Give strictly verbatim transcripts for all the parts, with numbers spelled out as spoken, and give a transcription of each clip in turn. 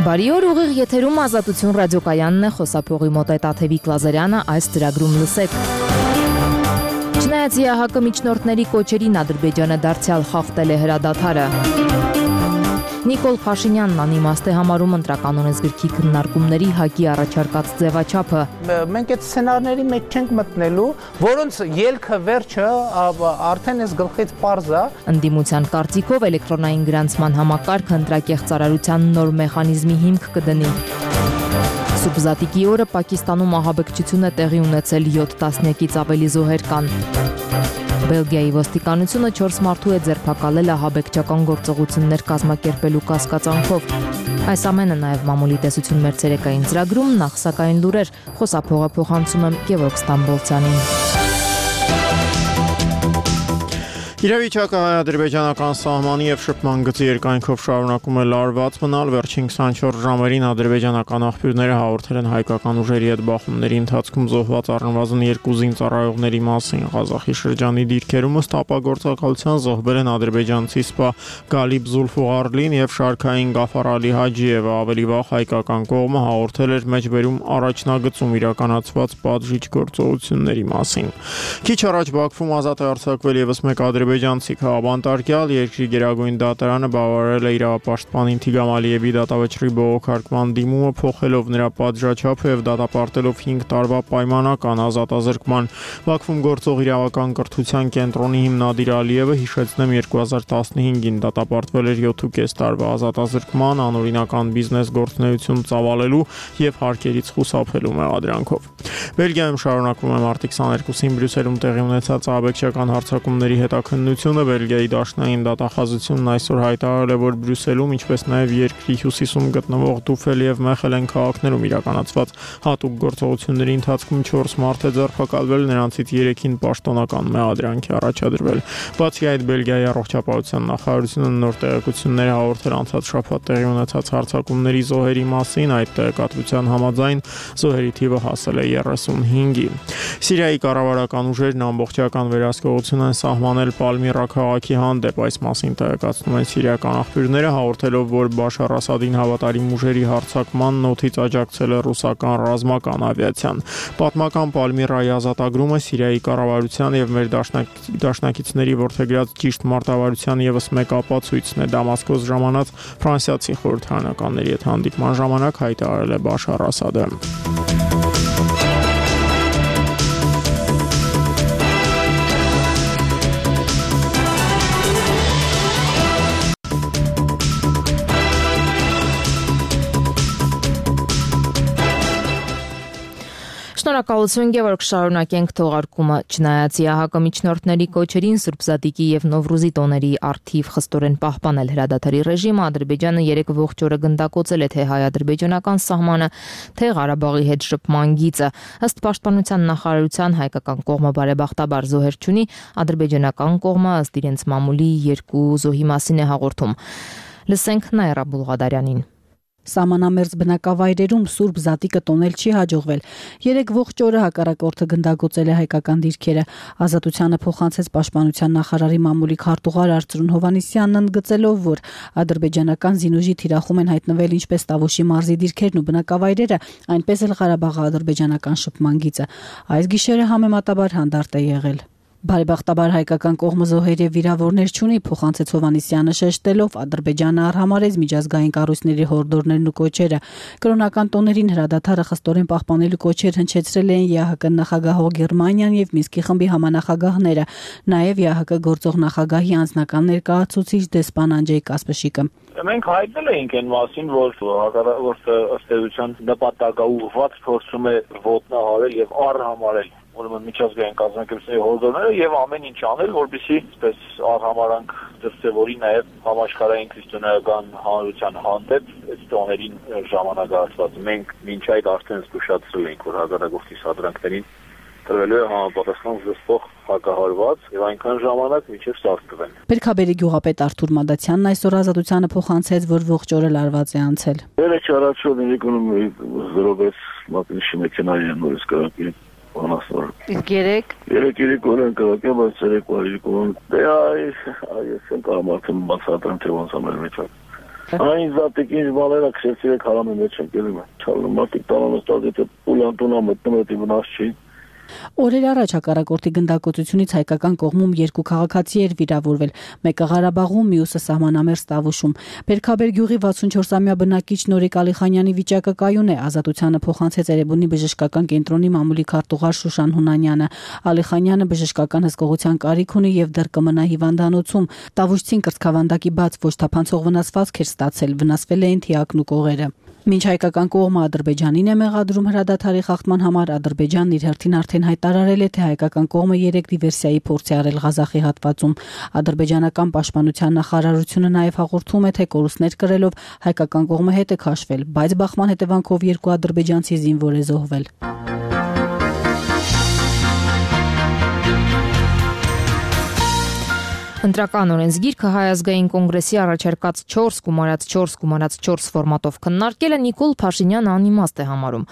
Բարի օր, ուղիղ եթերում Ազատություն ռադիոկայանն է, խոսափողի մոտ է Տաթևիկ Լազարյանը, այս ծրագրում լսեք։ Չնայած ԵԱՀԿ միջնորդների կոչերին Ադրբեջանը դարձյալ խախտել է հրադադարը։ Նիկոլ Փաշինյանն անիմաստ է համարում ընտրական օրենսգրքի քննարկումների ՀԱԿ-ի առաջարկած ձևաչափը։ Մենք այդ սցենարների մեջ չենք մտնելու, որոնց ելքը վերջը արդեն էս գլխից պարզ է։ Ընդդիմության կարծիքով էլեկտրոնային գրանցման համակարգը ընտրակեղ ծառայության նոր մեխանիզմի հիմք կդնի։ Սուրբ Զատիկի օրը Պակիստանում ահաբեկչություն է տեղի ունեցել յոթ տասնյակից ավելի զոհեր կան։ Բելգիայի ոստիկանությունը չորս մարդու է ձերբակալել ահաբեկչական գործողություններ կազմակերպելու կասկածանքով։ Այս ամենը նաև մամուլի տեսություն մեր ցերեկային ծրագրում, նախ սակայն լուրեր, խոսափողը փոխանցում եմ Գևորգ Ստամբոլցյանին։ Իրավիճակը հայ-ադրբեջանական սահմանի և շփման գծի երկայնքով շարունակում է լարված մնալ, վերջին քսանչորս ժամերին ադրբեջանական աղբյուրները հաղորդել են հայկական ուժերի հետ բախումների ընթացքում զոհված առնվազն երկու զինծառայողների մասին։ Ղազախի շրջանի դիրքերում ըստ ապագործակալության զոհվել են ադրբեջանցի սպա Գալիբ Զուլֆուղարլին և շարքային Գաֆար Ալի Հաջիևը, ավելի վաղ հայկական կողմը հաղորդել էր մեջբերում առաջնագծում իրականացված պատժիչ գործողությունների մասին։ Քիչ առաջ Բաքվում ազատ է արձակվել ևս մեկ ադրբեջանցի քաղաքապետարան, երկրի գերագույն դատարանը բավարարել է իրավապաշտպանին Թիգրամ Ալիևի դատավճռի բողոքարկման դիմումը, փոխելով նրա պատժաչափը և դատապարտելով հինգ տարվա պայմանական ազատազրկման։ Բաքվում գործող իրավական կրթության կենտրոնի հիմնադիր Ալիևը, հիշեցնեմ, երկու հազար տասնհինգին դատապարտվել էր յոթ տարվա ազատազրկման, անօրինական բիզնես գործունեություն ծավալելու և հարկերից խուսափելու մեղադրանքով։ Բելգիայում շարունակվում է մարտի քսաներկուսին Բրյուսելում տեղի ունեցած ահաբեկչական հարձակումների հետաքննությունը։ Բելգիայի դաշնային դատախազությունն այսօր հայտարարել է, որ Բրյուսելում, ինչպես նաև երկրի հյուսիսում գտնվող Դուֆել և Մեխելեն քաղաքներում իրականացված հատուկ գործողությունների ընթացքում չորս մարդ է ձերբակալվել, նրանցից երեքին պաշտոնական մեղադրանք է առաջադրվել։ Բացի այդ, Բելգիայի առողջապահության նախարարությունը նոր տեղեկություններ է հաղորդել անցած շաբաթ տեղի ունեցած հարձակումների զոհերի մասին։ Այդ տեղեկատվության համաձայն զոհերի թիվը հասել է երեսունհինգի։ Սիրիայի կառավարական ուժերն ամբողջական վերահսկողություն են սահմանել Պալմիրա քաղաքի հանդեպ։ Այս մասին տեղեկացնում են սիրիական աղբյուրները, հաղորդելով, որ Բաշար Ասադին հավատարիմ ուժերի հարձակմանն օդից աջակցել է ռուսական ռազմական ավիացիան։ Պատմական Պալմիրայի ազատագրումը Սիրիայի կառավարության և մեր դաշնակիցների որդեգրած ճիշտ մարտավարության ևս մեկ ապացույցն է, Դամասկոս ժամանած ֆրանսիացի խորհրդարանականների հետ հանդիպման ժամանակ հայտարարել է Բաշար Ասադը։ Շնորհակալություն, Գևորգ, շարունակենք թողարկումը։ Չնայած ԵԱՀԿ միջնորդների կոչերին Սուրբ Զատիկի և Նովրուզի տոների առթիվ խստորեն պահպանել հրադադարի ռեժիմը, Ադրբեջանը երեկ ողջ օրը գնդակոծել է թե հայ-ադրբեջանական սահմանը, թե Ղարաբաղի հետ շփման գիծը։ Ըստ Պաշտպանության նախարարության, հայկական կողմը բարեբախտաբար զոհեր չունի, ադրբեջանական կողմը ըստ իրենց մամուլի երկու զոհի մասին է հաղորդում։ Լսենք Նաիրա Բուլղադարյանին։ Սահմանամերձ բնակավայրերում Սուրբ Զատիկը տոնել չի հաջողվել։ Երեկ ողջ օրը հակառակորդը գնդակոծել է հայկական դիրքերը։ Ազատությանը փոխանցեց Պաշտպանության նախարարի մամուլի քարտուղար Արծրուն Հովհաննիսյանն, ընդգծելով, որ ադրբեջանական զինուժի թիրախում են հայտնվել ինչպես Տավուշի մարզի դիրքերն ու բնակավայրերը, այնպես էլ Ղարաբաղի ադրբեջանական շփման գիծը։ Այս գիշերը համեմատաբար հանդարտ է եղել։ Բարեբախտաբար հայկական կողմը զոհեր և վիրավորներ չունի, փոխանցեց Հովհաննիսյանը, շեշտելով, Ադրբեջանը արհամարհեց միջազգային կառույցների հորդորներն ու կոչերը։ Կրոնական տոներին հրադադարը խստորեն պահպանելու կոչեր հնչեցրել էին ԵԱՀԿ նախագահող Գերմանիան և Մինսկի խմբի համանախագահները, նաև ԵԱՀԿ գործող նախագահի անձնական ներկայացուցիչ դեսպան Անջեյ Կասպշիկը։ Մենք հայտնել էինք այն մասին, որ հակառակորդը ըստ էության նպատակաուղղված փորձում է ոտնահարել եւ արհամարել ուրեմն միջազգային կազմակերպությունների հորդորները եւ ամեն ինչ անել, որպեսզի այսպես արհամարանք դրսեւորի նաեւ համաշխարհային քրիստոնեական հանրության հանդեպ այս տոներին ժամանակահատված։ Մենք մինչ այդ արդեն զգուշացրել ենք, որ հակառակորդի սադրանքներին տրվելու է համապատասխան զսպող հակահարված եւ այնքան ժամանակ մինչեւ սարքվեն։ Պերքաբերի գյուղապետ Արթուր Մադացյանն այսօր Ազատությանը փոխանցեց, որ ողջ օրը լարված է անցել։ Երեք չարացել ներկոնում զրոյեց մակնիշի մեքենայի նորից կրակի անասնոր։ Իսկ երեք երեք երեք օրեն կրակի, բայց երեք օրը դե այ այս են կարամարդը բացատրեմ թե ոնց ամեն մեջ։ Այն զատիկի բաները քսերցի քարամի մեջ են գնում։ Չալմատիկ տանոնը ստացի պուլանտունա մտնում է դիմնաս չի։ Օրեր առաջ հակառակորդի գնդակոծությունից հայկական կողմում երկու քաղաքացի էր վիրավորվել, մեկը Ղարաբաղում, մյուսը սահմանամերձ Տավուշում։ Բերքաբեր գյուղի վաթսունչորսամյա բնակիչ Նորիկ Ալիխանյանի վիճակը կայուն է, Ազատությանը փոխանցեց Էրեբունի բժշկական կենտրոնի մամուլի քարտուղար Շուշան Հունանյանը։ Ալիխանյանը բժշկական հսկողության կարիք ունի եւ դեռ կմնա հիվանդանոցում։ Տավուշցին կրծքավանդակի բաց ոչ թափանցող վնասվածք էր ստացել, վնասվել էին թիակն ու կողերը։ Մինչ հայկական կողմը Ադրբեջանին է մեղադրում հրադադարի խախտման համար, Ադրբեջանն իր հերթին արդեն հայտարարել է, թե հայկական կողմը երեք դիվերսիայի փորձ է արել Ղազախի հատվածում։ Ադրբեջանական պաշտպանության նախարարությունը նաև հաղորդում է, թե կորուստներ կրելով հայկական կողմը հետ է քաշվել, բայց բախման հետևանքով երկու ադրբեջանցի զինվոր է զոհվել։ Ընտրական օրենսգիրքը Հայ ազգային կոնգրեսի առաջարկած չորս գումարած չորս գումարած չորս ֆորմատով քննարկելը Նիկոլ Փաշինյանը անիմաստ է համարում։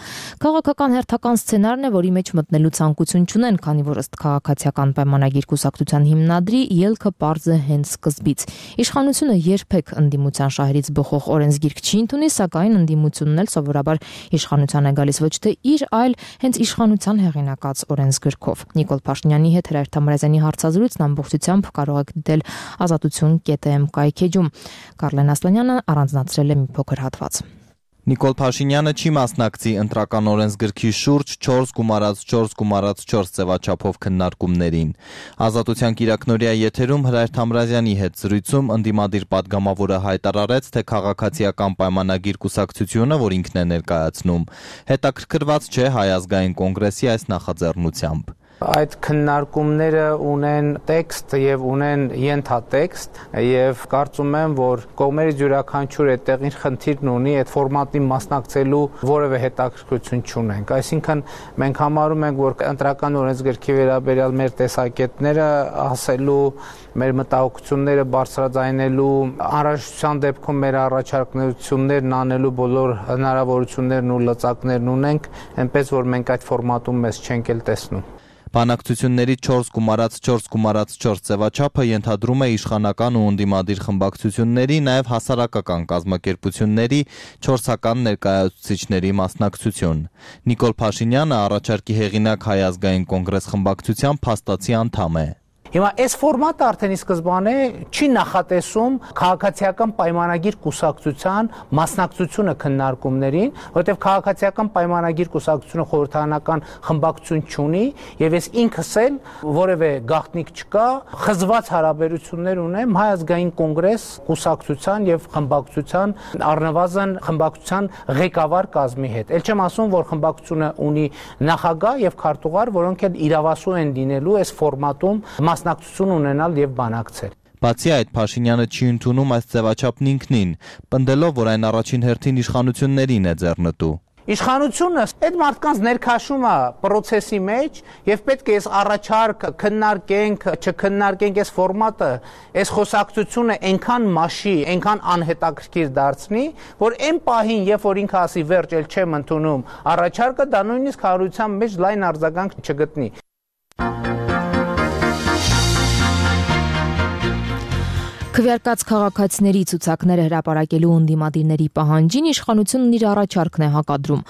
Քաղաքական հերթական սցենարն է, որի մեջ մտնելու ցանկություն չունեն, քանի որ ըստ քաղաքացիական պայմանագիր կուսակցության հիմնադրի ելքը պարզ է հենց սկզբից։ Իշխանությունը երբեք ընդդիմության շահերից բխող օրենսգիրք չի ընդունի, սակայն ընդդիմությունն էլ սովորաբար իշխանության է գալիս ոչ թե իր, այլ հենց իշխանության հեղինակած օրենսգրքով։ Նիկոլ Փաշինյանի հետ Հրայր Թամարազյանի հարցազրույցն ամբողջությամբ կարող եք դիտել ազատություն կետ էմ կայքեջում։ Կարլեն Ասլանյանը առանձնացրել է մի փոքր հատված։ Նիկոլ Փաշինյանը չի մասնակցի ընտրական օրենսգրքի շուրջ չորս գումարած չորս գումարած չորս ձևաչափով քննարկումներին։ Ազատության կիրակնօրյա եթերում Հրայր Թամրազյանի հետ զրույցում ընդդիմադիր падգամավորը հայտարարեց, թե քաղաքացիական պայմանագիր կուսակցությունը, որ ինքն է ներկայացնում, հետաքրքրված չէ Հայ ազգային կոնգրեսի այս նախաձեռնությամբ։ Այդ քննարկումները ունեն տեքստ եւ ունեն ենթատեքստ եւ կարծում եմ, որ կողմերից յուրաքանչյուր այդտեղ իր խնդիրն ունի, այդ ֆորմատին մասնակցելու որևէ հետաքրքրություն չունենք։ Այսինքն մենք համարում ենք, որ ընտրական օրենսգրքի վերաբերյալ մեր տեսակետները ասելու, մեր մտահոգությունները բարձրաձայնելու, անհրաժեշտության դեպքում մեր առաջարկություններն անելու բոլոր հնարավորություններն ու լծակներն ունենք, այնպես որ մենք այդ ֆորմատում մեզ չենք էլ տեսնում։ Բանակցությունների չորս գումարած չորս գումարած չորս ձևաչափը ենթադրում է իշխանական ու ընդդիմադիր խմբակցությունների, նաև հասարակական կազմակերպությունների չորսական ներկայացուցիչների մասնակցություն։ Նիկոլ Փաշինյանը առաջարկի հեղինակ Հայ ազգային կոնգրես խմբակցության փաստացի անդամ է։ Հիմա այս ֆորմատը արդեն ի սկզբանե չի նախատեսում քաղաքացիական պայմանագիր կուսակցության մասնակցությունը քննարկումներին, որովհետև քաղաքացիական պայմանագիր կուսակցությունը խորհրդարանական խմբակցություն չունի, եւ ես ինքս էլ որևէ գաղտնիք չկա, խզված հարաբերություններ ունեմ Հայ ազգային կոնգրես կուսակցության եւ խմբակցության առնվազն խմբակցության ղեկավար կազմի հետ։ Էլ չեմ ասում, որ խմբակցությունը ունի նախագահ եւ քարտուղար, որոնք էլ իրավասու են դինելու այս ֆորմատում մասնակցություն ունենալ եւ բանակցել։ Բացի այդ, Փաշինյանը չի ընդունում այս ձևաչափն ինքնին, պնդելով, որ այն առաջին հերթին իշխանություններին է ձեռնտու։ Իշխանությունը այդ մարդկանց ներքաշում է process-ի մեջ եւ պետք է այս առաջարկ քննարկենք, չքննարկենք այս ֆորմատը, այս խոսակցությունը այնքան մաշի, այնքան անհետաքրքիր դարձնի, որ այն պահին, երբ որ ինքը ասի վերջ էլ չեմ ընդունում առաջարկը, դա նույնիսկ հանրության մեջ լայն արձագանք չգտնի։ Քվեարկած քաղաքացիների ցուցակները հրապարակելու ընդդիմադիրների պահանջին իշխանությունն իր առաջարկն է հակադրում։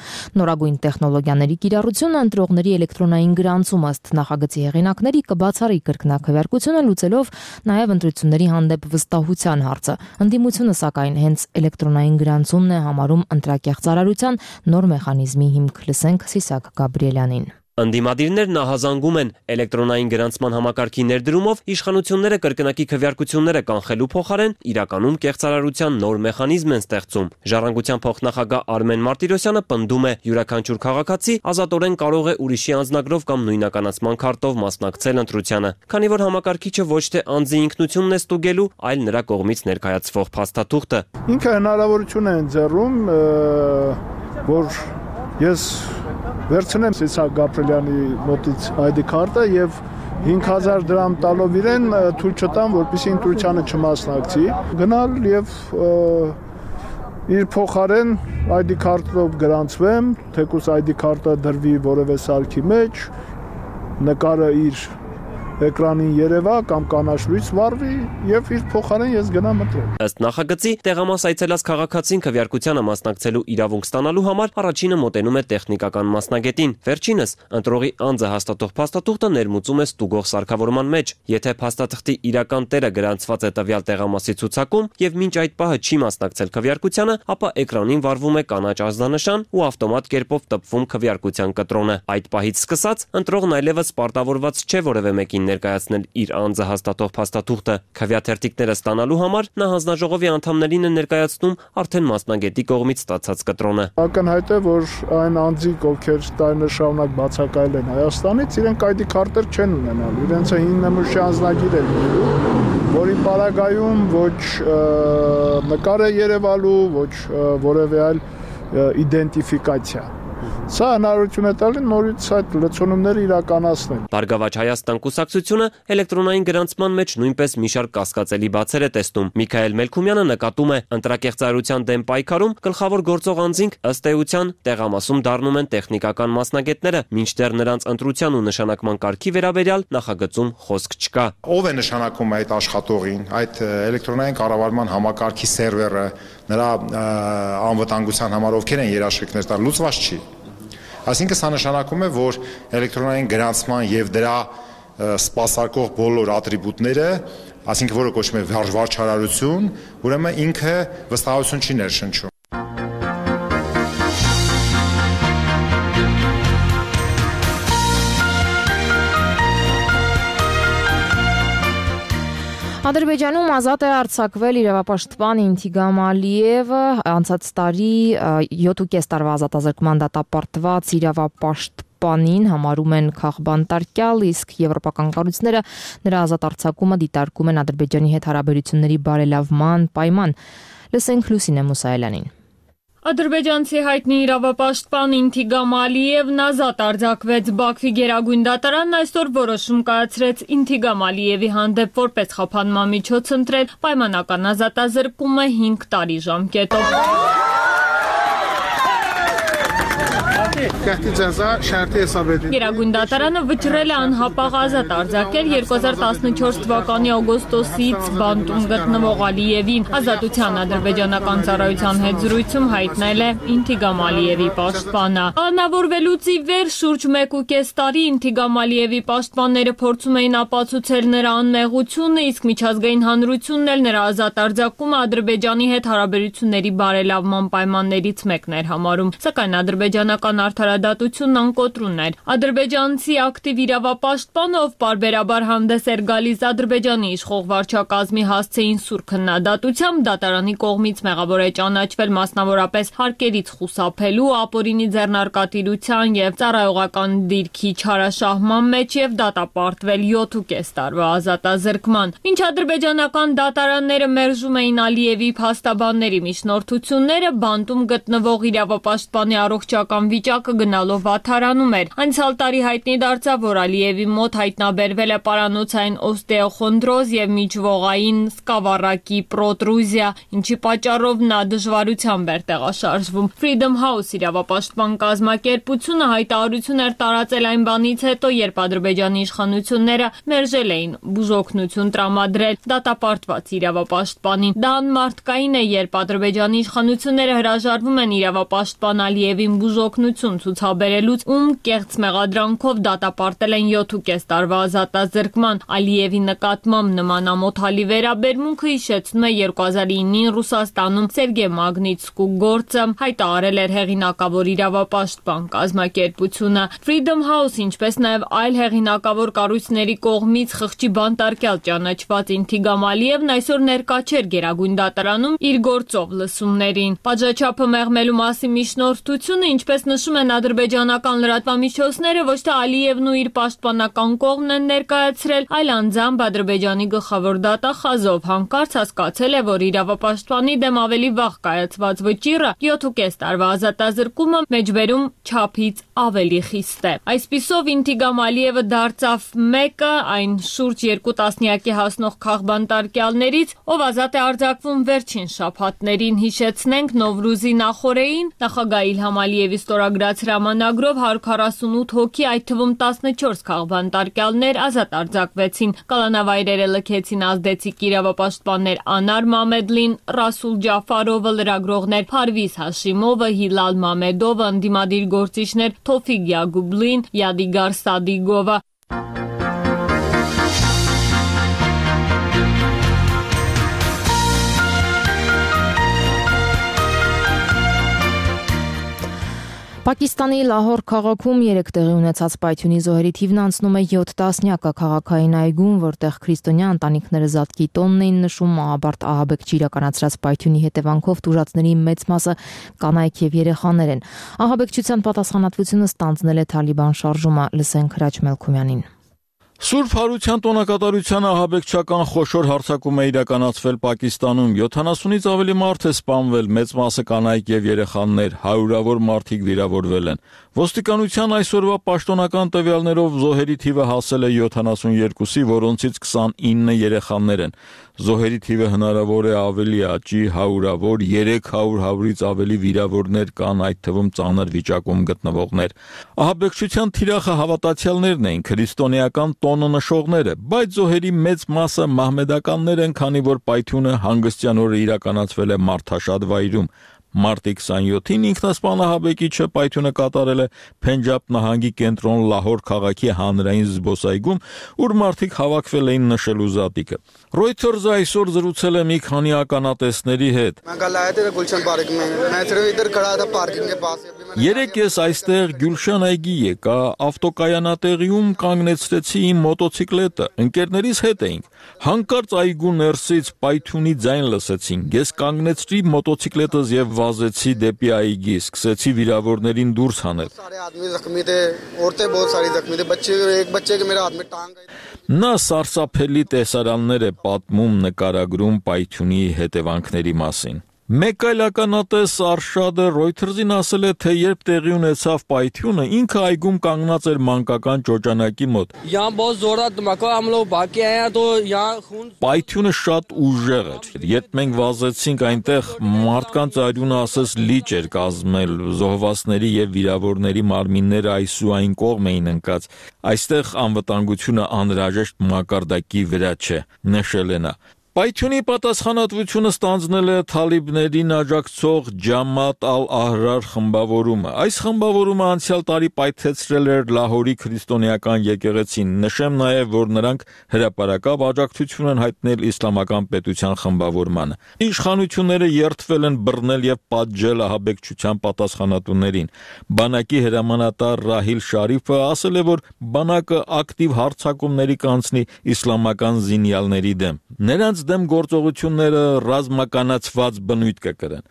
Նորագույն տեխնոլոգիաների կիրառությունը ընտրողների էլեկտրոնային գրանցում ըստ նախագծի հեղինակների կբացառի կրկնակվեարկությունը, լուծելով նաև ընտրությունների հանդեպ վստահության հարցը։ Ընդդիմությունը սակայն հենց էլեկտրոնային գրանցումն է համարում ընտրակեղծարարության նոր մեխանիզմի հիմք։ Լսենք Սիսակ Գաբրիելյանին։ Ընդդիմադիրներն ահազանգում են էլեկտրոնային գրանցման համակարգի ներդրումով իշխանությունները կրկնակի քվեարկությունները կանխելու փոխարեն իրականում կեղծարարության նոր մեխանիզմ են ստեղծում։ Ժառանգության փոխնախագահ Արմեն Մարտիրոսյանը պնդում է, յուրաքանչյուր քաղաքացի ազատորեն կարող է ուրիշի անձնագրով կամ նույնականացման քարտով մասնակցել ընտրությանը, քանի որ համակարգիչը ոչ թե անձի ինքնությունն է ստուգելու, այլ նրա կողմից ներկայացվող փաստաթուղթը։ Ինքը հնարավորություն է ընձեռում, որ ես վերցնեմ Սիսակ Գաբրիելյանի մոտից այ դի քարտը եւ հինգ հազար դրամ տալով իրեն թույլ չտամ, որպեսզի ընտրությանը չմասնակցի, գնալ եւ իր փոխարեն այ դի քարտով գրանցվեմ, թեկուզ այ դի քարտը դրվի որևէ սարքի մեջ, նկարը իր էկրանին երևա կամ կանաչ լույս վառվի եւ իր փոխարեն ես գնամ ընտրեմ։ Ըստ նախագծի, տեղամաս այցելած քաղաքացին քվեարկությանը մասնակցելու իրավունք ստանալու համար առաջինը մոտենում է տեխնիկական մասնագետին։ Վերջինս ընտրողի անձը հաստատող փաստաթուղթը ներմուծում է ստուգող սարքավորման մեջ։ Եթե փաստաթղթի իրական տերը գրանցված է տվյալ տեղամասի ցուցակում եւ մինչ այդ պահը չի մասնակցել քվեարկությանը, ապա էկրանին վառվում է կանաչ ազդանշան ու ավտոմատ կերպով տպվում քվեարկության կտրոնը։ Այդ պահից սկսած ընտրողն այլևս պարտավորված չէ որևէ մեկին ներկայացնել իր անձը հաստատող փաստաթուղթը։ Քվեաթերթիկները ստանալու համար նա հանձնաժողովի անդամներին է ներկայացնում արդեն մասնագետի կողմից ստացած կտրոնը։ Ակնհայտ է, որ այն անձիկ, ովքեր տարիներ շարունակ բացակայել են Հայաստանից, իրենք այ դի քարտեր չեն ունենալ։ Իրենց հիմնամուշի անձնագիր է լինելու, որի պարագայում ոչ նկար է երևալու, ոչ որևէ այլ իդենտիֆիկացիա։ Սա հնարավորություն է տալի նորից այդ լցոնումները իրականացնել։ Բարգավաճ Հայաստան կուսակցությունը էլեկտրոնային գրանցման մեջ նույնպես մի շարք կասկածելի բացեր է տեսնում։ Միքայել Մելքումյանը նկատում է, ընտրակեղծարարության դեմ պայքարում գլխավոր գործող անձինք ըստ էության տեղամասում դառնում են տեխնիկական մասնագետները, մինչդեռ նրանց ընտրության ու նշանակման կարգի վերաբերյալ նախագծում խոսք չկա։ Ով է նշանակում այդ աշխատողին, այդ էլեկտրոնային կառավարման համակարգի սերվերը, նրա անվտանգության համար ովքեր են երաշխիքներ տալ, լուծված չի։ Այսինքն սա նշանակում է, որ էլեկտրոնային գրանցման եւ դրա սպասարկող բոլոր ատրիբուտները, այսինքն որը կոչվում է վարչարարություն, ուրեմն ինքը վստահություն չի ներշնչում։ Ադրբեջանում ազատ է արձակվել իրավապաշտպան Ինթիգամ Ալիևը, անցած տարի յոթ ու կես տարվա ազատազրկման դատապարտված իրավապաշտպանին համարում են քաղբանտարկյալ, իսկ եվրոպական կառույցները նրա ազատ արձակումը դիտարկում են Ադրբեջանի հետ հարաբերությունների բարելավման պայման։ Լսենք Լուսինե Մուսայելյանին։ Ադրբեջանցի հայտնի իրավապաշտպան Ինթիգամ Ալիևն ազատ արձակվեց։ Բաքվի գերագույն դատարանն այսօր որոշում կայացրեց Ինթիգամ Ալիևի հանդեպ որպես խափանման միջոց ընտրել պայմանական ազատազրկումը հինգ տարի ժամկետով։ Գերագույն դատարանը վճռել է անհապաղ ազատ արձակել երկու հազար տասնչորս թվականի օգոստոսից բանտում գտնվող Ալիևին։ Ազատության ադրբեջանական ծառայության հետ զրույցում հայտնել է Ինթիգամ Ալիևի պաշտպանը։ Անավորվելուց ի վեր շուրջ մեկ ու կես տարի Ինթիգամ Ալիևի պաշտպանները փորձում էին ապացուցել նրա անմեղությունը, իսկ միջազգային հանրությունն էլ նրա ազատ արձակումը Ադրբեջանի հետ հարաբերությունների բարելավման պայմաններից մեկն էր համարում։ Սակայն ադրբեջանական արդարադատությունն անկոտրուն էր։ Ադրբեջանցի ակտիվ իրավապաշտպանը, ով պարբերաբար հանդես էր գալիս Ադրբեջանի իշխող վարչակազմի հասցեին սուր քննադատությամբ, դատարանի կողմից մեղավոր է ճանաչվել մասնավորապես հարկերից խուսափելու, ապօրինի ձեռնարկատիրության եւ ծառայողական դիրքի չարաշահման մեջ եւ դատապարտվել յոթ ու կես տարվա ազատազրկման։ Մինչ ադրբեջանական դատարանները մերժում էին Ալիևի փաստաբանների միջնորդությունները, բանտում գտնվող իրավապաշտպանի առողջական վիճակը գնալով վատթարանում էր։ Անցյալ տարի հայտնի դարձավ, որ Ալիևի մոտ հայտնաբերվել է պարանոցային օստեոխոնդրոզ եւ միջվողային սկավառակի պրոտրուզիա, ինչի պատճառով նա դժվարությամբ էր տեղաշարժվում։ Freedom House իրավապաշտպան կազմակերպությունը հայտարարություն էր տարածել այն բանից հետո, երբ Ադրբեջանի իշխանությունները մերժել էին բուժօգնություն տրամադրել դատապարտված իրավապաշտպանին։ Դա անմարդկային է, երբ Ադրբեջանի իշխանությունները հրաժարվում են իրավապաշտպան Ալիևին բուժօգնություն ցուցաբերելուց, ում կեղծ մեղադրանքով դատապարտել են յոթ ու կես տարվա ազատազրկման։ Ալիևի նկատմամբ նման ամոթալի վերաբերմունքը հիշեցնում է երկու հազար ինին Ռուսաստանում Սերգեյ Մագնիտսկու գործը, հայտարարել էր հեղինակավոր իրավապաշտպան կազմակերպությունը։ Freedom House, ինչպես նաև այլ հեղինակավոր կառույցների կողմից խղճի բանտարկյալ ճանաչված Ինթիգամ Ալիևն այսօր ներկա չէր Գերագույն դատարանում իր գործով լսումներին։ Պատժաչափը մեղմելու մասին միջնորդությունը, ինչպես նշում են ադրբեջանական լրատվամիջոցները, ոչ թե Ալիևն ու իր պաշտպանական կողմն են ներկայացրել, այլ անձամբ Ադրբեջանի գլխավոր դատախազով հանկարծ հասկացել է, որ իրավապաշտպանի դեմ ավելի վաղ կայացված վճիռը յոթ ու կես տարվա ազատազրկումը մեջբերում չափից ավելի խիստ է։ Այսպիսով Ինթիգամ Ալիևը դարձավ մեկը այն շուրջ երկու տասնյակի հասնող քաղբանտարկյալներից, ով ազատ է արձակվում վերջին շաբաթներին։ Հիշեցնենք Նովրուզի նախօրեին նախագահ Իլհամ Ալիևի ստորագրած նվիրած հրամանագրով հարյուր քառասունութ հոգի, այդ թվում տասնչորս քաղբանտարկյալներ ազատ արձակվեցին։ Կալանավայրերը լքեցին ազդեցիկ իրավապաշտպաններ Անար Մամեդլին, Ռասուլ Ջաֆարովը, լրագրողներ Փարվիզ Հաշիմովը, Հիլալ Մամեդովը, ընդդիմադիր գործիչներ Թոֆիկ Յագուբլին, Յադիգար Սադիգովը։ Պակիստանի Լահոր քաղաքում երեք տեղի ունեցած պայթյունի զոհերի թիվն անցնում է յոթ տասնյակը քաղաքային այգում, որտեղ քրիստոնյա ընտանիքները զատկի տոնն էին նշում Ահաբարտ Ահաբեկչի իրականացրած պայթյունի հետևանքով տուժածների մեծ մասը կանայք եւ երեխաներ են։ Ահաբեկչության պատասխանատվությունը ստանձնել է Թալիբան շարժումը, լսենք Հրաչ Մելքումյանին։ Սուրբ Հարության տոնակատարության ահաբեկչական խոշոր հարձակում է իրականացվել Պակիստանում, յոթանասունից ավելի մարդ է սպանվել, մեծ մասը կանայք եւ երեխաներ, հարյուրավոր մարդիկ վիրավորվել են։ Ոստիկանության այսօրվա պաշտոնական տվյալներով զոհերի թիվը հասել է յոթանասունյոթի, որոնցից քսանինը երեխաներ են։ Զոհերի թիվը հնարավոր է ավելի աճի, հարյուրավոր, երեք հարյուր հարյուրից ավելի վիրավորներ կան, այդ թվում ծանր վիճակում գտնվողներ։ Ահաբեկչության թիրախը հավատացյալներն էին, քրիստոնեական տոնը նշողները, բայց զոհերի մեծ մասը մահմեդականներ են, քանի որ պայթյունը հանգստյան օրը իրականացվել է մարդաշատ վայրում։ Մարտի քսանյոթին ինքնասպան ահաբեկիչը պայթյունը կատարել է Փենջաբ նահանգի կենտրոն Լահոր քաղաքի հանրային զբոսայգում, ուր մարդիկ հավաքվել էին նշելու զատիկը։ Reuters-ը այսօր զրուցել է մի քանի ականատեսների հետ։ Երեք ես այստեղ Գյուլշան այգի եկա, ավտոկայանատեղիում կանգնեցրեցի իմ մոտոցիկլետը, ընկերներիս հետ էինք։ Հանկարծ այգու ներսից պայթյունի ձայն լսեցինք։ Ես կանգնեցրի մոտոցիկլետս եւ վազեցի դեպի այգի, սկսեցի վիրավորներին դուրս հանել։ Նա սարսափելի տեսարաններ է պատմում, նկարագրում պայթյունի հետևանքների մասին։ Մեկ այլ ականատես Արշադը Reuters-ին ասել է, թե երբ տեղի ունեցավ պայթյունը, ինքը այգում կանգնած էր մանկական ճոճանակի մոտ։ Պայթյունը շատ ուժեղ էր։ Երբ մենք վազեցինք այնտեղ, մարդկանց արյունը ասես լիճ էր կազմել, զոհվածների եւ վիրավորների մարմինները այս ու այն կողմ էին ընկած։ Այստեղ անվտանգությունը անհրաժեշտ մակարդակի վրա չէ, նշել է նա։ Պայթյունի պատասխանատվությունը ստանձնել է Թալիբներին աջակցող Ջամատ ալ-Ահրար խմբավորումը։ Այս խմբավորումը անցյալ տարի պայթեցրել էր Լահորի քրիստոնեական եկեղեցին։ Նշեմ նաև, որ նրանք հրապարակավ աջակցություն են հայտնել իսլամական պետության խմբավորմանը։ Իշխանությունները երդվել են բռնել եւ պատժել ահաբեկչության պատասխանատուներին։ Բանակի հրամանատար Ռահիլ Շարիֆը ասել է, որ բանակը ակտիվ հարձակումների կանցնի իսլամական զինյալների դեմ։ Նրանց դեմ գործողությունները ռազմականացված բնույթ կկրեն։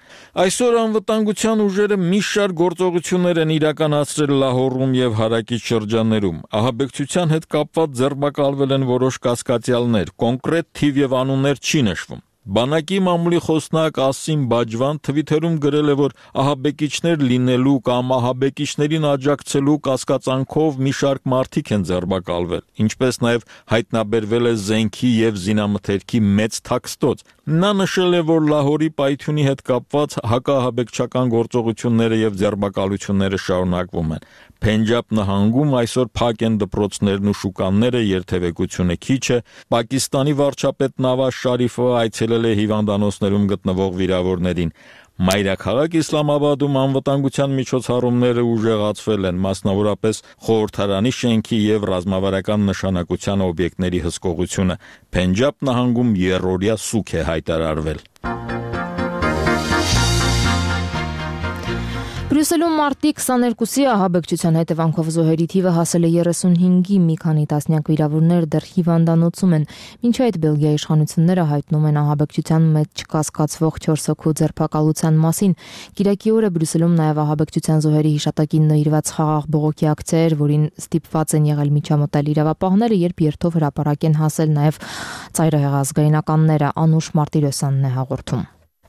Այսօր անվտանգության ուժերը մի շարք գործողություններ են իրականացրել Լահորում եւ հարակից շրջաններում։ Ահաբեկչության հետ կապված ձերբակալվել են որոշ կասկածյալներ, կոնկրետ թիվ եւ անուններ չի նշվում։ Բանակի մամուլի խոսնակ Ասիմ Բաջվան Twitter-ում գրել է, որ ահաբեկիչներ լինելու կամ ահաբեկիչներին աջակցելու կասկածանքով մի շարք մարդիկ են ձերբակալվել, ինչպես նաև հայտնաբերվել է զենքի եւ զինամթերքի մեծ թաքստոց։ Նա նշել է, որ Լահորի պայթյունի հետ կապված հակաահաբեկչական գործողությունները եւ ձերբակալությունները շարունակվում են։ Փենջաբ նահանգում այսօր փակ են դպրոցներն ու շուկաները, երթևեկությունը քիչ է։ Պակիստանի վարչապետ Նավազ Շարիֆը այցելել է հիվանդանոցներում գտնվող վիրավորներին։ Մայրաքաղաք Իսլամաբադում անվտանգության միջոցառումները ուժեղացվել են, մասնավորապես խորհրդարանի շենքի եւ ռազմավարական նշանակության օբյեկտների հսկողությունը։ Փենջաբ նահանգում երրորդյա սուք է հայտարարվել։ Բրյուսելում մարտի քսաներկուսի ահաբեկչության հետևանքով զոհերի թիվը հասել է երեսունհինգի, մի քանի տասնյակ վիրավորներ դեռ հիվանդանոցում են։ Մինչ այդ Բելգիայի իշխանությունները հայտնում են ահաբեկչության մեջ կասկածվող չորս հոգու ձերբակալության մասին։ Կիրակի օրը Բրյուսելում նաև ահաբեկչության զոհերի հիշատակին նվիրված խաղաղ բողոքի ակցիա էր, որին ստիպված են եղել միջամտել իրավապահները, երբ երթով հրապարակ են հասել նաև ծայրահեղ ազգայնականները։ Անուշ Մարտիրոսյանն է հաղորդում։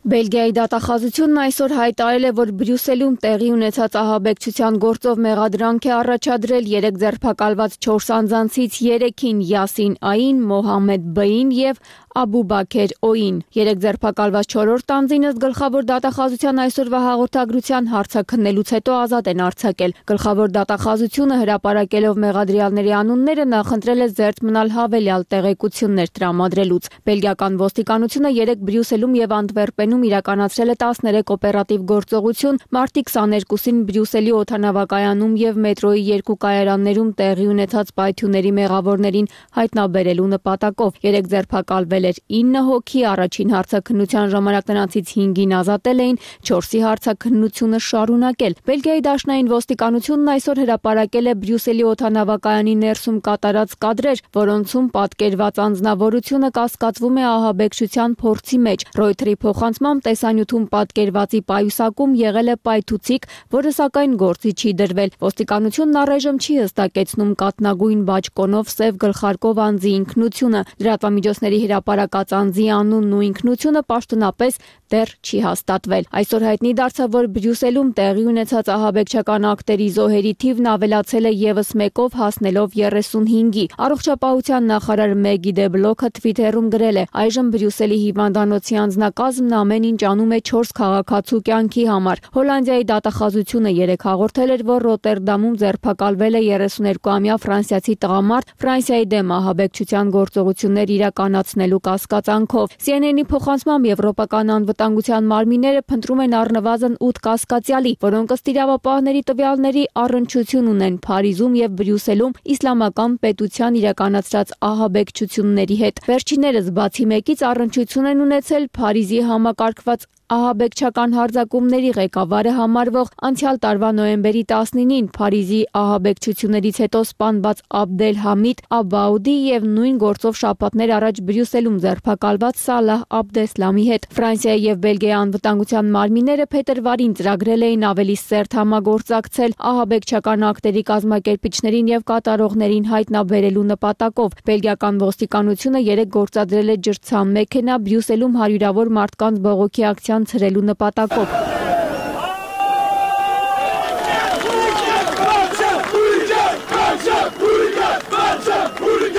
Բելգիայի դատախազությունն այսօր հայտարարել է, որ Բրյուսելում տեղի ունեցած ահաբեկչության գործով մեղադրանք է առաջադրել երեք ձերբակալված չորս անձանցից երեքին՝ Յասին Ային, Մոհամեդ Բային եւ Աբու Բաքեր Օին։ Երեք ձերբակալված չորրորդ անձինս գլխավոր դատախազության այսօրվա հաղորդագրության հարցաքննելուց հետո ազատ են արձակել։ Գլխավոր դատախազությունը հրապարակելով մեղադրյալների անունները նախընտրել է զերծ մնալ հավելյալ տեղեկություններ տրամադրելուց։ Բելգիական ոստիկանությունը երեկ Բրյուսելում եւ Անտվերպենում իրականացրել է տասներեք օպերատիվ գործողություն մարտի քսաներկուսին Բրյուսելի օդանավակայանում եւ մետրոյի երկու կայարաններում տեղի ունեցած պայթյունների մեղավորներին հայտնաբերելու նպատակով։ Երեք ձերբակալվել էր ինը հոգի, առաջին հարցաքննության ժամանակ նրանցից հինգին ազատել էին, չորսի հարցաքննությունը շարունակել։ Բելգիայի դաշնային ոստիկանությունն այսօր հրապարակել է Բրյուսելի օդանավակայանի ներսում կատարած կադրեր, որոնցում պատկերված անձնավորությունը կասկածվում է ահաբեկչության փորձի մեջ։ Ռոյթերի փոխանցմամբ տեսանյութում պատկերվածի պայուսակում եղել է պայթուցիկ, որը սակայն գործի չի դրվել։ Ոստիկանությունն առայժմ չի հստակեցնում կաթնագույն բաճկոնով սև գլխարկով անձի ինքնությունը։ Լրատվամիջոցների հրապարակած անձի անունն ու ինքնությունը պաշտոնապես դեռ չի հաստատվել։ Այսօր հայտնի դարձավ, որ Բրյուսելում տեղի ունեցած ահաբեկչական ակտերի զոհերի թիվն ավելացել է եւս մեկով, հասնելով երեսունհինգի։ Առողջապահության նախարար Մեգի Դե Բլոքը Թվիթերում գրել է. այժմ Բրյուսելի հիվանդանոցի անձնակազմն ամեն ինչ անում է չորս քաղաքացու կյանքի համար։ Հոլանդիայի դատախազությունը երեկ հաղորդել էր, որ Ռոտերդամում ձերբակալվել է երեսուներկուամյա ֆրանսիացի տղամարդ Ֆրանսիայի դեմ ահաբեկչության գործողություններ իրականացնելու կասկածանքով։ Սի Էն Էն-ի փոխանցմամբ Եվրոպական անվտանգության մարմինները փնտրում են առնվազն ութ կասկածյալի, որոնք ըստ իրավապահների տվյալների առնչություն ունեն Փարիզում եւ Բրյուսելում իսլամական պետության իրականացրած ահաբեկչությունների հետ։ Վերջիններս բացի մեկից առնչություն են ունեցել Փարիզի համակարգված ահաբեկչական հարձակումների ղեկավարը համարվող անցյալ տարվա նոյեմբերի տասնինին Փարիզի ահաբեկչություններից հետո սպանված Աբդել Համիդ Աբաուդի եւ նույն գործով շաբաթներ առաջ Բրյուսելում ձերբակալված Սալահ Աբդեսլամի հետ։ Ֆրանսիայի եւ Բելգիայի անվտանգության մարմինները փետրվարին ծրագրել էին ավելի սերտ համագործակցել ահաբեկչական ակտերի կազմակերպիչներին եւ կատարողներին հայտնաբերելու նպատակով։ Բելգիական ոստիկանությունը երեկ գործադրել է ջրցան մեքենա Բրյուսելում հարյուրավոր մարդկանց բողոքի ակցիա ցրելու նպատակով։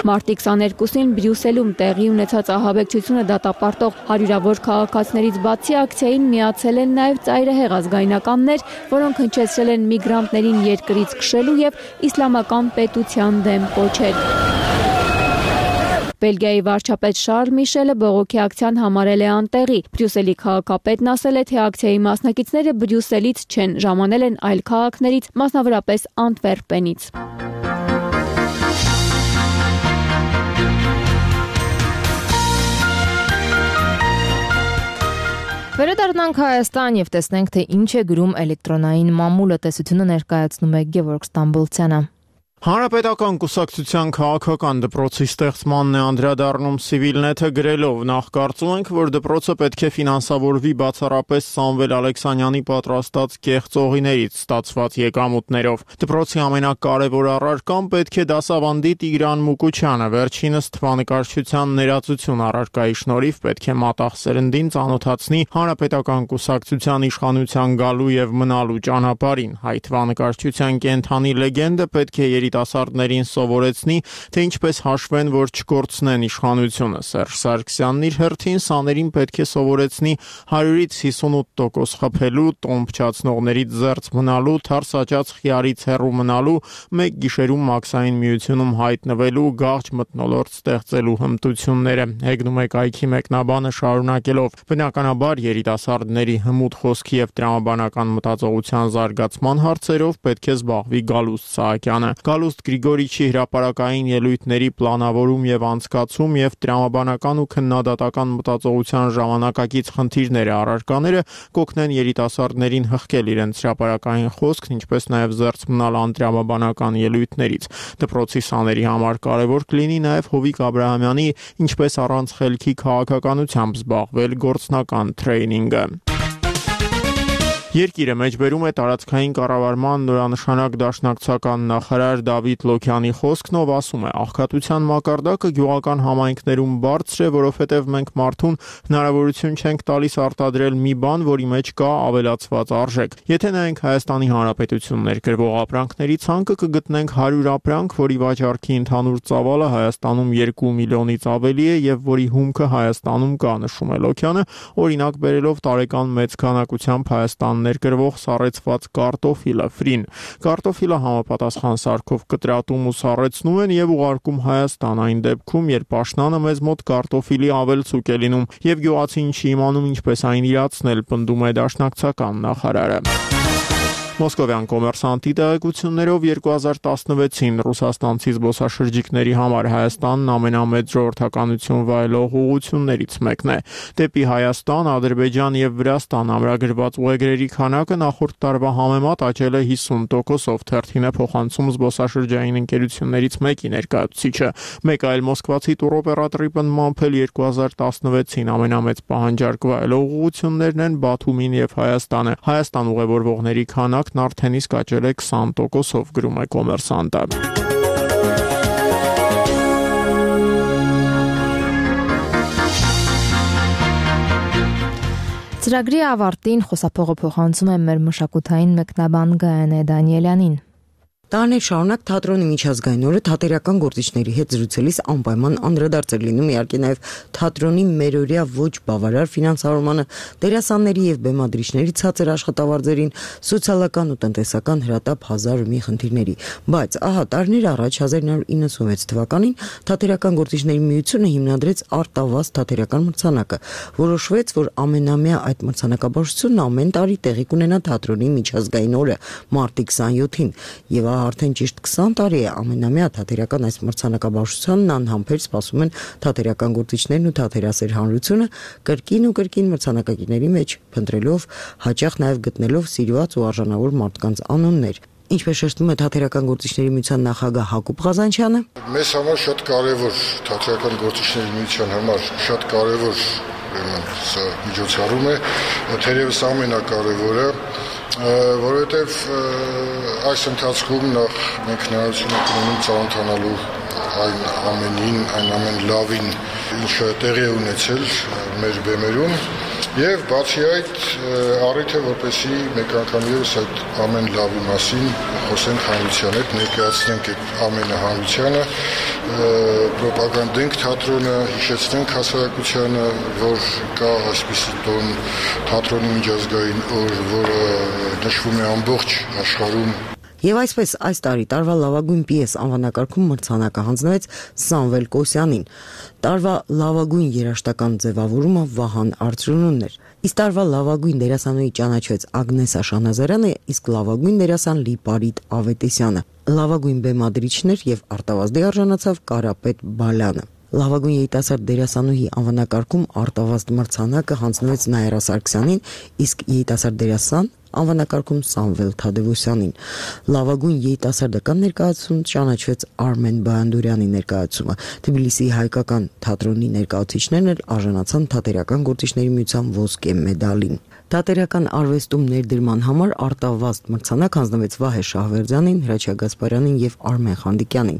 Մարտի քսաներկուսին Բրյուսելում տեղի ունեցած ահաբեկչությունը դատապարտող հարյուրավոր քաղաքացիներից բացի ակցիային միացել են նաև ծայրահեղ ազգայնականներ, որոնք հնչեցրել են միգրանտներին երկրից քշելու եւ իսլամական պետության դեմ կոչել։ Բելգիայի վարչապետ Շարլ Միշելը բողոքի ակցիան համարել է անտեղի։ Բրյուսելի քաղաքապետն ասել է, թե ակցիայի մասնակիցները Բրյուսելից չեն, ժամանել են այլ քաղաքներից, մասնավորապես Անտվերպենից։ Վերադառնանք Հայաստան եւ տեսնենք, թե ինչ է գրում էլեկտրոնային մամուլը։ Տեսությունը ներկայացնում է Գևորգ Ստամբոլցյանը։ Հանրապետական կուսակցության քաղաքական դպրոցի ստեղծմանն է անդրադառնում Civilnet-ը գրելով. նախ կարծում ենք, որ դպրոցը պետք է ֆինանսավորվի բացառապես Սամվել Ալեքսանյանի պատրաստած կեղծողիներից ստացված եկամուտներով։ Դպրոցի ամենակարևոր առարկան պետք է դասավանդի Տիգրան Մուկուչյանը, վերջինս թվանկարչության ներածություն առարկայի շնորհիվ պետք է մատաղ սերնդին ծանոթացնի հանրապետական կուսակցության իշխանության գալու եւ մնալու ճանապարհին։ Հայ թվանկարչության կենթանի լեգենդը պետք է երիտասարդներին սովորեցնի, թե ինչպես հաշվեն, որ չկորցնեն իշխանությունը։ Սերժ Սարգսյանն իր հերթին սաներին պետք է սովորեցնի հարյուրից հիսունութ տոկոս խփելու, տոն փչացնողներից զերծ մնալու, թարսաճած խիարից հեռու մնալու, մեկ գիշերում մաքսային միությունում հայտնվելու, գաղջ մթնոլորտ ստեղծելու հմտությունները։ Հեգնում է կայքի մեկնաբանը շարունակելով. բնականաբար երիտասարդների հմուտ խոսքի եւ տրամաբանական մտածողության զարգացման հարցերով պետք է զբաղվի Գալուստ Սահակյանը։ Գալուստ Գրիգորիչի հրապարակային ելույթների պլանավորում եւ անցկացում եւ տրամաբանական ու քննադատական մտածողության ժամանակակից խնդիրները առարկաները կօգնեն երիտասարդներին հղկել իրենց հրապարակային խոսքն, ինչպես նաեւ զերծ մնալ անտրամաբանական ելույթներից։ Դպրոցի սաների համար կարևոր կլինի նաեւ Հովիկ Աբրահամյանի ինչպես առանց խելքի քաղաքականությամբ զբաղվել գործնական թրեյնինգը։ Երկիրը մեջբերում է տարածքային կառավարման նորանշանակ դաշնակցական նախարար Դավիթ Լոքյանի խոսքն, ով ասում է. աղքատության մակարդակը գյուղական համայնքներում բարձր է, որովհետև մենք մարդուն հնարավորություն չենք տալիս արտադրել մի բան, որի մեջ կա ավելացված արժեք։ Եթե նայենք Հայաստանի Հանրապետությունն ներկրվող ապրանքների ցանկը, կգտնենք հարյուր ապրանք, որի վաճառքի ընդհանուր ծավալը Հայաստանում երկու միլիոնից ավելի է եւ որի հումքը Հայաստանում կա, նշում է Լոքյանը, օրինակ բերելով տարեկան մեծ քանակությամբ Հայաստան ներկրվող սառեցված կարտոֆիլը ֆրին։ Կարտոֆիլը համապատասխան սարքով կտրատում ու սառեցնում են եւ ուղարկում Հայաստան, այն դեպքում, երբ աշնանը մեզ մոտ կարտոֆիլի ավելցուկ է լինում եւ գյուղացին չի իմանում ինչպես այն իրացնել, պնդում է դաշնակցական նախարարը։ Մոսկովյան կոմերսանտի տեղեկություններով երկու հազար տասնվեցին ռուսաստանցի զբոսաշրջիկների համար Հայաստանն ամենամեծ ժողովրդականություն վայելող ուղղություններից մեկն է։ Դեպի Հայաստան, Ադրբեջան եւ Վրաստան ամրագրված ուղեգրերի քանակը նախորդ տարվա համեմատ աճել է հիսուն տոկոսով, թերթին է փոխանցում զբոսաշրջային ընկերություններից մեկի ներկայացուցիչը։ Մեկ այլ մոսկվացի տուրօպերատորի պնդմամբ էլ երկու հազար տասնվեցին ամենամեծ պահանջարկ վայելող ուղղություններն են Բաթումին եւ Հայաստանը։ Հայաստան ուղևորվողների քանակ արդեն իսկ աճել է քսան տոկոսով, գրում է Կոմերսանտը։ Ծրագրի ավարտին խոսափողը փոխանցում է մեր մշակութային մեկնաբան Գայանե Դանիելյանին։ Տարիներ շարունակ թատրոնի միջազգային օրը թատերական գործիչների հետ զրուցելիս անպայման անդրադարձ էր լինում իհարկե նաև թատրոնի մերօրյա ոչ բավարար ֆինանսավորմանը, դերասանների եւ բեմադրիչների ցածր աշխատավարձերին, սոցիալական ու տնտեսական հրատապ հազար ու մի խնդիրների։ Բայց ահա տարիներ առաջ հազար ինը հարյուր իննսունվեց թվականին թատերական գործիչների միությունը հիմնադրեց Արտավազդ թատերական մրցանակը։ Որոշվեց, որ ամենամյա այդ մրցանակաբաշխությունն ամեն տարի տեղի կունենա թատրոնի միջազգային օրը մարտի քսանյոթին եւ արդեն ճիշտ քսան տարի է ամենամյա թատերական այս մրցանակաբաշխությանն անհամբեր սպասում են թատերական գործիչներն ու թատերասեր հանրությունը, կրկին ու կրկին մրցանակակիրների մեջ փնտրելով, հաճախ նաև գտնելով սիրված ու արժանավոր մարդկանց անուններ։ Ինչպես շեշտում է թատերական գործիչների միության նախագահ Հակոբ Ղազանչյանը, մեզ համար շատ կարևոր թատերական գործիչների միության համար շատ կարևոր սա միջոցառում է, թերևս ամենակարևորը, որովհետև այս ընթացքում նախ մենք հնարավորություն ենք ունենում ծանոթանալու այն ամենին, այն ամեն լավին, ինչը տեղի է ունեցել մեր բեմերում, եւ բացի այդ առիթ է, որպեսզի մեկ անգամ ևս այդ ամեն լավի մասին խոսենք հանրության հետ, ներկայացնենք այդ ամենը հանրությանը, պրոպագանդենք թատրոնը, հիշեցնենք հասարակությանը, որ կա այսպիսի տոն թատրոնի միջազգային օր, որը նշվում է ամբողջ աշխարհում։ Եվ այսպես այս տարի տարվա լավագույն պիես անվանակարգում մրցանակը հանձնվեց Սամվել Կոսյանին։ Տարվա լավագույն երաժշտական ձևավորումը Վահան Արծրունունն էր։ Իսկ տարվա լավագույն դերասանուհի ճանաչվեց Ագնեսա Շանազարյանը, իսկ լավագույն դերասան Լիպարիտ Ավետիսյանը։ Լավագույն բեմադրիչներ եւ արտավազդի արժանացավ Կարապետ Բալյանը։ Լավագույն երիտասարդ դերասանուհի անվանակարգում Արտավազդ մրցանակը հանձնվեց Նաիրա Սարգսյանին, իսկ երիտասարդ դերասան անվանակարգում Սամվել Թադևոսյանին։ Լավագույն երիտասարդական ներկայացում ճանաչվեց Արմեն Բայանդուրյանի ներկայացումը։ Թբիլիսիի հայկական թատրոնի ներկայացուցիչներն էլ արժանացան թատերական գործիչների միության ոսկե մեդալին։ Թատերական արվեստում ներդրման համար Արտավազդ մրցանակ հանձնվեց Վահե Շահվերդյանին, Հրաչյա Գասպարյանին եւ Արմեն Խանդիկյանին։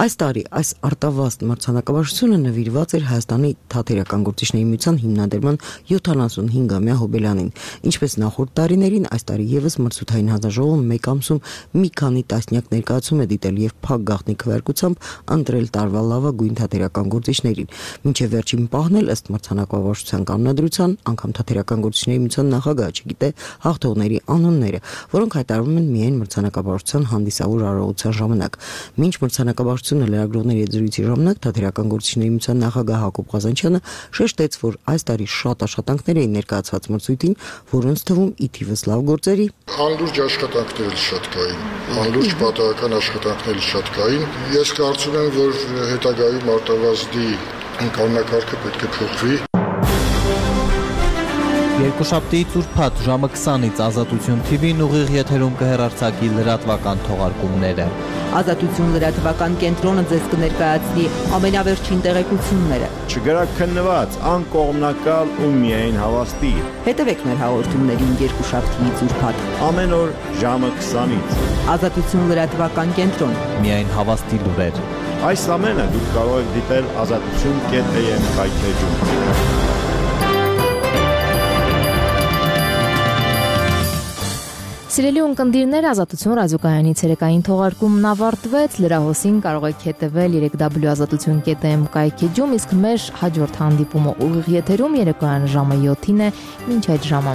Այս տարի այս Արտավազդ մրցանակաբաշխությունը նվիրված էր Հայաստանի թատերական գործիչների միության հիմնադրման յոթանասունհինգամյա հոբելյանին։ Ինչպես նախորդ տարիներին, այս տարի եւս մրցութային հանձնաժողովը մեկ ամսում մի քանի տասնյակ ներկայացում է դիտել եւ փակ գաղտնի քվեարկությամբ ընտրել տարվա լավագույն թատերական գործիչներին։ Մինչեւ վերջին պահն էլ ըստ մրցանակաբաշխության կանոնադրության անգամ թատերական գործիչների նախագահը չգիտե հաղթողների անունները, որոնք հայտարարվում են միայն մրցանակաբաշխության հանդիսավոր արարողության ժամանակ։ Մինչ մրցանակաբաշխությունը լրագրողների հետ զրույցի ժամանակ թատերական գործիչների միության նախագահ Հակոբ Ղազանչյանը շեշտեց, որ այս տարի շատ աշխատանքներ էին ներկայացված մրցույթին, որոնց թվում ի թիվս լավ գործերի անլուրջ աշխատանքներ շատ կային, անլուրջ պատահական աշխատանքներ շատ կային։ Ես կարծում եմ, որ հետագայում Արտավազդի կանոնակարգը պետք է փոխվի։ Երկուշաբթիից ուրբաթ ժամը քսանից Ազատություն թի վին ուղիղ եթերում կհեռարձակի լրատվական թողարկումները։ Ազատություն լրատվական կենտրոնը ձեզ կներկայացնի ամենավերջին տեղեկությունները։ Չգրաքննված, անկողմնակալ ու միայն հավաստի։ Հետևեք մեր հաղորդումներին երկուշաբթիից ուրբաթ ամեն օր ժամը քսանից։ Ազատություն լրատվական կենտրոն։ Միայն հավաստի լուրեր։ Այս ամենը դուք կարող եք դիտել ազատություն կետ am հայթեջում։ Սիրելի ունկնդիրներ, Ազատություն ռադիոկայանի ցերեկային թողարկումն ավարտվեց։ Լրահոսին կարող եք հետևել երեք w ազատություն կետ am կայքեջում, իսկ մեր հաջորդ հանդիպումը ուղիղ եթերում երեկոյան ժամը յոթին է, մինչ այդ ժամը։